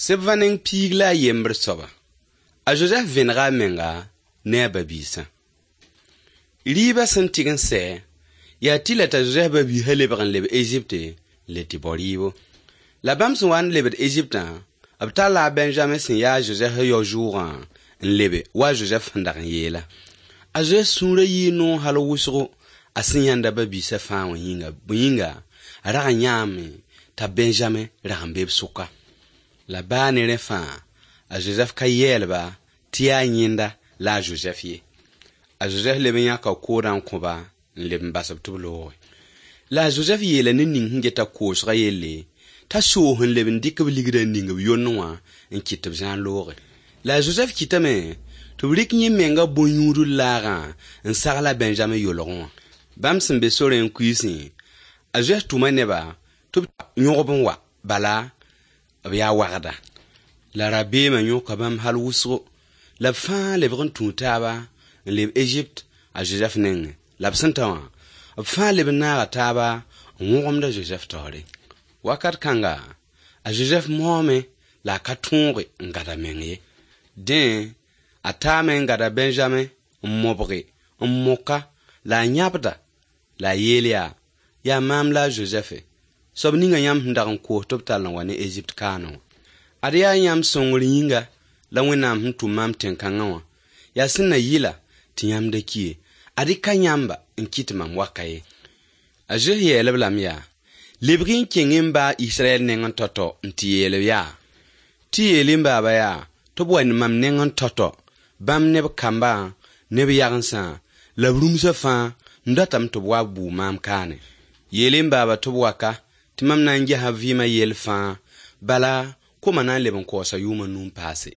Sɩbva neng piig la a yembr soaba. A Zozɛf vẽnega a menga ne a ba-biisã. Rɩɩbã sẽn tɩg n sɛ, yaa tɩlɛ t'a Zozɛf ba-biisã lebg n leb Ezipte n le tɩ bao rɩɩbo. La bãmb sẽn wa n lebd Eziptã, b talla a Bɛnzame sẽn yaa a Zozɛf yao-zʋʋgã n lebe wa a Zozɛf sẽn dag n yeelã. A Zozɛf sũurã yɩɩ noog hal wʋsgo a sẽn yãnd a ba-biisã fãa wã yĩnga. Bõe yĩnga, a rag n yãame t'a Bɛnzame rag n be b sʋka. La baa ne rẽ fãa, a Zozɛf ka yɛɛl-ba tɩ yaa yẽnda la a Zozɛf ye. A Zozɛf leb n yãka koodã n kõ-ba n leb n bas-b tɩ b looge. La a Zozɛf yeela ned ning sẽn geta koosgã yelle t'a soos n leb n dɩk b ligdã n ning b yond wã n kɩt tɩ b zãa looge. La a Zozɛf kɩtame tɩ b rɩk yẽ menga bõn-yũudl laagã n sagl a Bɛnzame yolgẽ wã. Bãmb sẽn be sorẽ n kuiisẽ, a Zozɛf tʋma neba tɩ b yõgb n wa, bala b yaa wagda. La rabeemã yõka bãmb hal wʋsgo, la b fãa lebg n tũu taaba n leb Ezipt a Zozɛf nengẽ. La b sẽn ta wã, b fãa leb n naaga taaba n wõgemd a Zozɛf taoore. Wakat kãnga, a Zozɛf maoome la a ka tõoge n gad a meng ye. Dẽ, a taame n gada Bɛnzame n mobge, n moka la a yãbda la a yeel yaa: yaa maam la a Zozɛfe, soab ninga yãmb sẽn dag n koos tɩ b tall n wa ne Ezipt kaanẽ wã. Ad yaa yãmb sõngr yĩnga la Wẽnnaam sẽn tʋm maam tẽn-kãngã wã. Yaa sẽn na yɩla tɩ yãmb da ki ye. Ad-y ka yãmba n kɩt mam waka ye. A Zozɛf yeel-b lame yaa: lebg-y n kẽng n baa Israɛl nengẽ tao-tao n tɩ yeel-b yaa: tɩ yeel n baaba yaa tɩ b wa ne mam nengẽ tao-tao, bãmb ne b kambã ne b yagensã la b rũmsã fãa n datame tɩ b wa bʋʋ maam kaane. Yeel n baaba tɩ b waka tɩ mam na n gesa b vɩɩmã yell fãa, bala koma na n leb n kaoosa yʋʋm a nu n paase.